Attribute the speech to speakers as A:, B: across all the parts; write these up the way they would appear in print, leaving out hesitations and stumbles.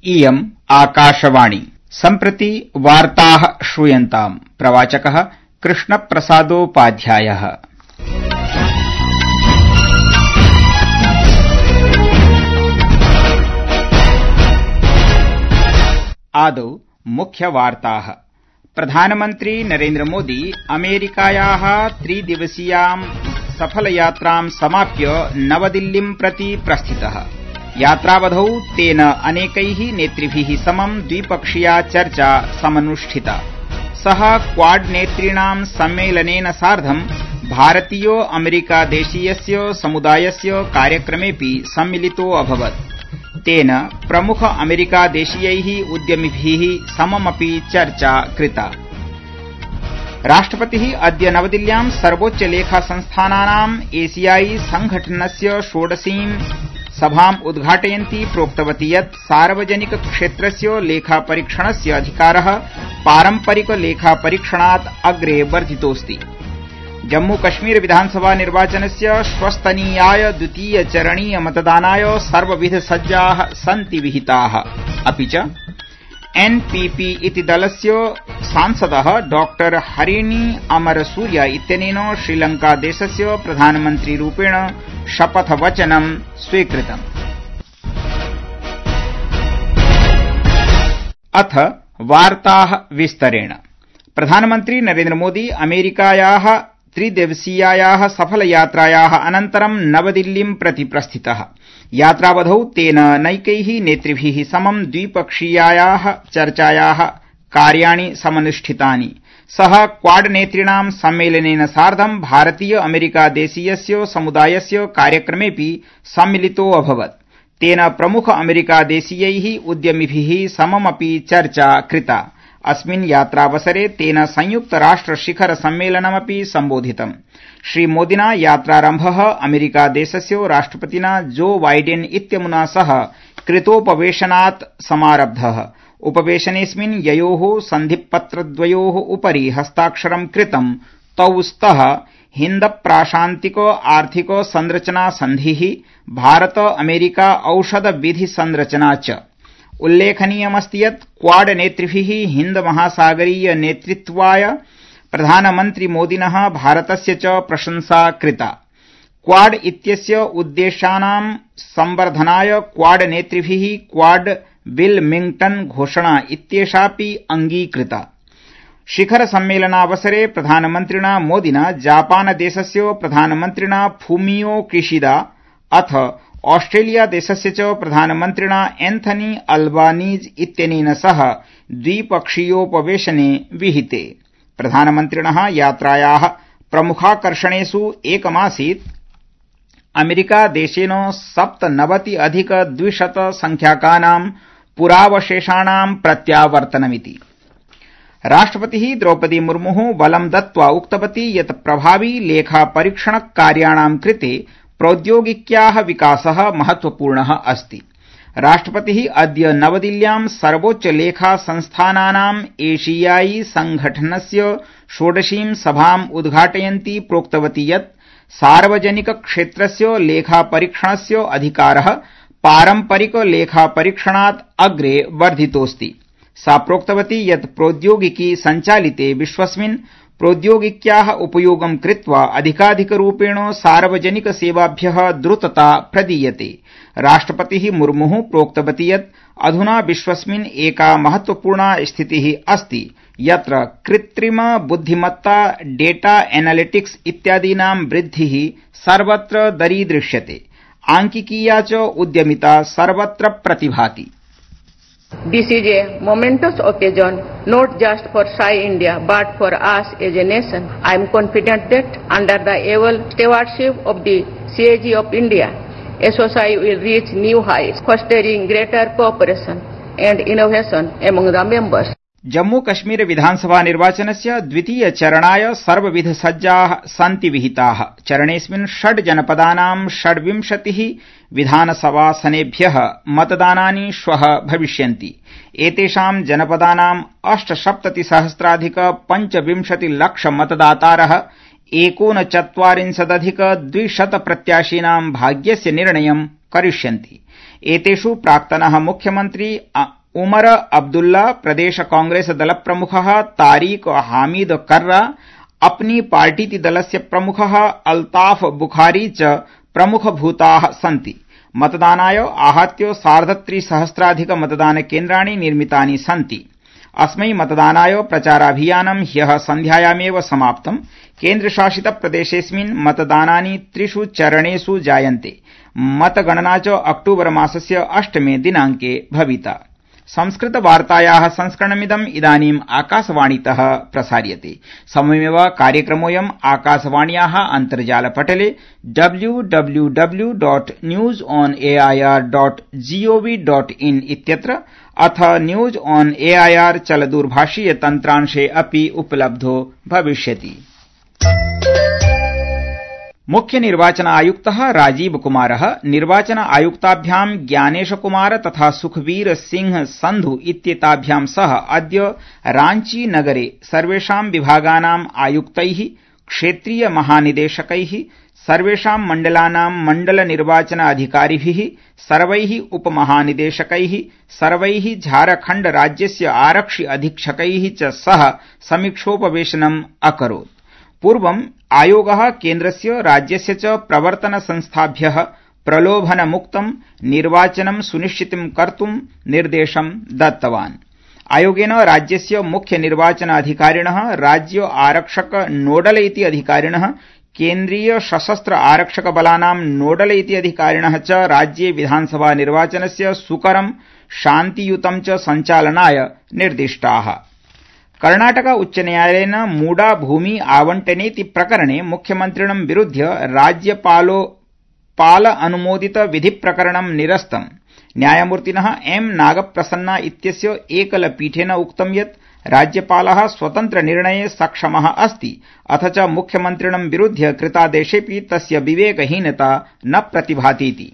A: इयम् आकाशवाणी। सम्प्रति वार्ताः श्रूयन्ताम्। प्रवाचकः कृष्णप्रसादोपाध्यायः। आदौ मुख्यवार्ताः। प्रधानमन्त्री नरेन्द्र मोदी अमेरिकायाः 3 दिवसीयां सफलयात्रां समाप्य नवदिल्लीं प्रति प्रस्थितः। यात्रावधौ तेन अनेकैः नेतृभिः समं द्विपक्षीया चर्चा समनुष्ठिता। सः क्वाड नेतॄणां सम्मेलनेन सार्धं भारतीयो अमेरिका देशीयस्य समुदायस्य कार्यक्रमेऽपि सम्मिलितो अभवत्। तेन प्रमुख अमेरिका देशीयैः उद्यमिभिः सममपि चर्चा कृता। राष्ट्रपतिः अद्य नवदिल्ल्यां सर्वोच्च लेखा संस्थानानाम् एशियाई संघटनस्य 16वीं सभाम् उद्घाटयन्ती प्रोक्तवती यत् सार्वजनिक क्षेत्रस्य लेखापरीक्षणस्य अधिकारः पारम्परिक लेखापरीक्षणात् अग्रे वर्धितोऽस्ति। जम्मूकश्मीर विधानसभा निर्वाचनस्य श्वस्तनीयाय द्वितीयचरणीय मतदानाय सर्वविधसज्जाः सन्ति विहिताः। अपि च एनपीपी इति दलस्य सांसदः डॉक्टर हरिणी अमरसूर्य इत्यनेन श्रीलंकादेशस्य प्रधानमन्त्रीरूपेण शपथवचनं स्वीकृतम्। अथ वार्ताः विस्तरेण। प्रधानमन्त्री नरेन्द्र मोदी अमेरिकायाः 3 दिवसीयायाः सफलयात्रायाः अनन्तरं नवदिल्लीं प्रति प्रस्थितः। यात्रावधौ तेन नैकैः नेतृभिः समं द्विपक्षीयायाः चर्चायाः कार्याणि समनुष्ठितानि। सः क्वाड नेतॄणां सम्मेलनेन सार्धं भारतीय अमेरिका देशीयस्य समुदायस्य कार्यक्रमेऽपि सम्मिलितो अभवत्। तेन प्रमुख अमेरिका देशीयैः उद्यमिभिः सममपि चर्चा कृता। अस्मिन् यात्रावसरे तेन संयुक्त राष्ट्र शिखर सम्मेलनमपि सम्बोधितम्। श्रीमोदिना यात्रारम्भः अमेरिका देशस्य राष्ट्रपतिना जो बाइडेन इत्यमुना सह कृतोपवेशनात् समारब्धः। उपवेशनेऽस्मिन् ययोः सन्धिपत्रद्वयोः उपरि हस्ताक्षरं कृतं तौ स्तः हिन्द प्राशान्तिक आर्थिक संरचना सन्धिः, भारत अमेरिका औषध विधि संरचना च। उल्लेखनीयमस्ति यत् क्वाड नेतृभिः हिन्द महासागरीय नेतृत्वाय प्रधानमन्त्री मोदिनः भारतस्य च प्रशंसा कृता। क्वाड इत्यस्य उद्देश्यानां संवर्धनाय क्वाड नेतृभिः क्वाड विल्मिंग्टन घोषणा इत्येषापि अंगीकृता। शिखर सम्मेलनावसरे प्रधानमन्त्रिणा मोदिना जापानदेशस्य प्रधानमन्त्रिणा फूमियो किशिदा अथ ऑस्ट्रेलिया देशस्य च प्रधानमन्त्रिणा एन्थनी अल्बानीज इत्यनेन सह द्विपक्षीयोपवेशने विहिते। प्रधानमन्त्रिणः यात्रायाः प्रमुखाकर्षणेषु एकमासीत् अमेरिकादेशेन 97 संख्याकानां पुरावशेषाणां प्रत्यावर्तनमिति। राष्ट्रपतिः द्रौपदी मुर्मुः बलं दत्त्वा उक्तवती यत् प्रभावी लेखापरीक्षण कार्याणां कृते प्रौद्योगिक्याः विकासः महत्वपूर्णः अस्ति। राष्ट्रपतिः अद्य नवदिल्ल्यां सर्वोच्च लेखा संस्थानानाम् एशियाई संघटनस्य 16वीं सभाम् उद्घाटयन्ती प्रोक्तवती यत् सार्वजनिक क्षेत्रस्य लेखापरीक्षणस्य अधिकारः पारम्परिक लेखापरीक्षणात् अग्रे वर्धितोऽस्ति। सा प्रोक्तवती यत् प्रौद्योगिकी सञ्चालिते विश्वस्मिन् प्रौद्योगिक्याः उपयोगं कृत्वा अधिकाधिकरूपेण सार्वजनिक सेवाभ्यः द्रुतता प्रदीयते। राष्ट्रपतिः मुर्मुः प्रोक्तवती यत् अधुना विश्वस्मिन् एका महत्वपूर्णा स्थितिः अस्ति यत्र कृत्रिम बुद्धिमत्ता, डेटा एनालिटिक्स इत्यादीनां वृद्धिः सर्वत्र दरीदृश्यते। आंकिकीया च उद्यमिता सर्वत्र प्रतिभाति।
B: This is a momentous occasion not just for Sci India but for us as a nation. I am confident that under the able stewardship of the CAG of India, SOSI will reach new heights, fostering greater cooperation and innovation among the members.
A: Jammu Kashmir विधानसभा निर्वाचनस्य द्वितीय चरणाय सर्वविध सज्जाः सन्ति विहिताः। चरणेऽस्मिन् 6 जनपदानां 26 विधानसभासनेभ्यः मतदानानि श्वः भविष्यन्ति। एतेषां जनपदानां 8,70,000,25 लक्ष मतदातारः 39,200 प्रत्याशीनां भाग्यस्य निर्णयं करिष्यन्ति। एतेषु प्राक्तनः मुख्यमन्त्री उमर अब्दुल्ला, प्रदेश कांग्रेस दल प्रमुखः तारिक हामिद कर्रा, अपनी पार्टीति दलस्य प्रमुखः अल्ताफ बुखारी च प्रमुखभूताः सन्ति। मतदानाय आहत्य 3,सहस्राधिक मतदानकेन्द्राणि निर्मितानि सन्ति। अस्मै मतदानाय प्रचाराभियानं ह्यः सन्ध्यायामेव समाप्तम्। केन्द्रशासित प्रदेशेऽस्मिन् मतदानानि 3 चरणेषु जायन्ते। मतगणना च अक्टूबर मासस्य 8 दिनाङ्के भविता। संस्कृतवार्तायाः संस्करणमिदम् इदानीम् आकाशवाणीतः प्रसार्यते। समयमेव कार्यक्रमोऽयम् आकाशवाण्याः अन्तर्जालपटले www.newsonair.gov.in इत्यत्र अथ न्यूज ऑन एआईआर चलदूरभाषीय तन्त्रांशे अपि उपलब्धो भविष्यति। मुख्य निर्वाचन आयुक्तः राजीव कुमारः निर्वाचन आयुक्ताभ्यां ज्ञानेश कुमार तथा सुखबीर सिंह संधु इत्येताभ्यां सह अद्य रांची नगरे सर्वेषां विभागानां आयुक्तैः, क्षेत्रीय महानिदेशकैः, सर्वेषां मण्डलानां मण्डल निर्वाचन अधिकारिभिः, सर्वैः उपमहानिदेशकैः, सर्वैः झारखण्ड राज्यस्य आरक्षि अधीक्षकैः च सह समीक्षोपवेशनम् अकरोत्। पूर्वम् आयोगः केन्द्रस्य राज्यस्य च प्रवर्तन संस्थाभ्यः प्रलोभनमुक्तं निर्वाचनं सुनिश्चितं कर्तुं निर्देशं दत्तवान्। आयोगेन राज्यस्य मुख्य निर्वाचन अधिकारिणः, राज्य आरक्षक नोडल इति अधिकारिणः, केन्द्रीय सशस्त्र आरक्षक बलानां नोडल इति अधिकारिणः च राज्ये विधानसभा निर्वाचनस्य सुकरं शान्तियुतं च सञ्चालनाय निर्दिष्टाः। कर्णाटक उच्च न्यायालयेन मूडा भूमि आवंटनेति प्रकरणे मुख्यमन्त्रिणं विरुध्य राज्यपाल अनुमोदित विधि प्रकरणं निरस्तम्। न्यायमूर्तिनः एम नागप्रसन्ना इत्यस्य एकलपीठेन उक्तं यत् राज्यपालः स्वतन्त्र निर्णये सक्षमः अस्ति, अथ च मुख्यमन्त्रिणं विरुध्य कृतादेशेऽपि तस्य विवेकहीनता न प्रतिभातीति।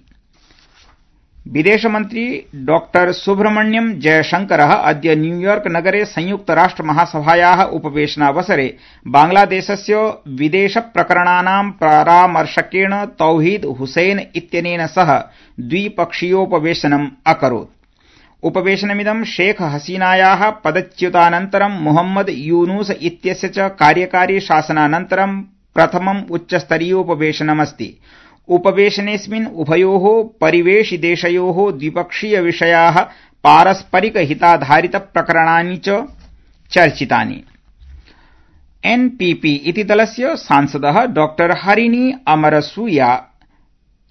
A: विदेशमन्त्री डॉ सुब्रह्मण्यम जयशंकरः अद्य न्यूयॉर्क नगरे संयुक्तराष्ट्र महासभायाः उपवेशनावसरे बांग्लादेशस्य विदेश प्रकरणानां परामर्शकेण तौहीद हुसैन इत्यनेन सह द्विपक्षीयोपवेशनम् अकरोत्। उपवेशनमिदं शेख हसीनायाः पदच्युतानन्तरं मोहम्मद यूनुस इत्यस्य च कार्यकारी शासनानन्तरं प्रथमम् उच्चस्तरीयोपवेशनमस्ति। उपवेशनेऽस्मिन् उभयोः परिवेशिदेशयोः द्विपक्षीय विषयाः, पारस्परिक हिताधारित प्रकरणानि च चर्चितानि। एनपीपी इति दलस्य सांसदः डॉ हरिणी अमरसूया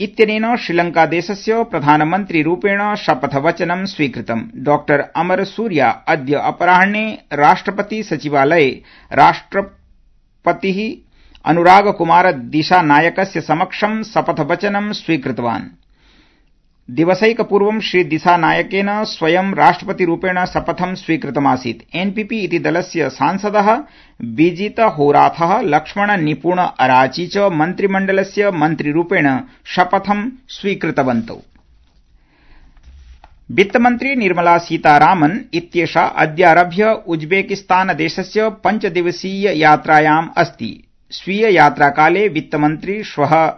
A: इत्यनेन श्रीलंकादेशस्य प्रधानमन्त्रिरूपेण शपथवचनं स्वीकृतम्। डॉ अमरसूया अद्य अपराह्ने राष्ट्रपति सचिवालये राष्ट्रपतिः अनुराग कुमार दिशानायकस्य समक्षं शपथवचनं स्वीकृतवान्। दिवसैकपूर्वं श्री दिशानायकेन स्वयं राष्ट्रपतिरूपेण शपथं स्वीकृतमासीत्। एनपीपी इति दलस्य सांसदः विजित होराथः, लक्ष्मण निपुण अराची च मन्त्रिमण्डलस्य मन्त्रिरूपेण शपथं स्वीकृतवन्तौ। वित्तमन्त्री निर्मला सीतारामन् इत्येषा अद्यारभ्य उज्बेकिस्तान देशस्य 5 दिवसीय यात्रायाम् अस्ति। स्वीय यात्राकाले वित्तमन्त्री श्वः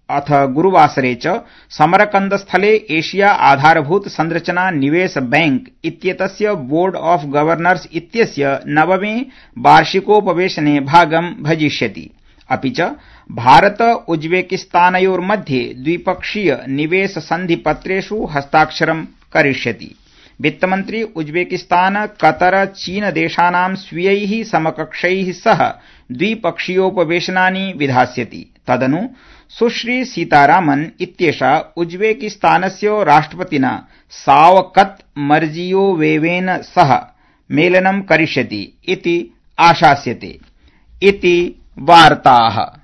A: अथ गुरुवासरे च समरकन्दस्थले एशिया आधारभूत संरचना निवेश बैंक इत्येतस्य बोर्ड ऑफ गवर्नर्स इत्यस्य 9वें वार्षिकोपवेशने भागं भजिष्यति। अपि च भारत उज्बेकिस्तानयोर्मध्ये द्विपक्षीय निवेश सन्धिपत्रेषु हस्ताक्षरं करिष्यति। वित्तमन्त्री उज्बेकिस्तान, कतर, चीन देशानां स्वीयैः समकक्षैः सह द्विपक्षीयोपवेशनानि विधास्यति। तदनु सुश्री सीतारामन् इत्येषा उज्बेकिस्तानस्य राष्ट्रपतिना शावकत मिर्जियोयेवेन सह मेलनं करिष्यति इति आशास्यते। इति वार्ताः।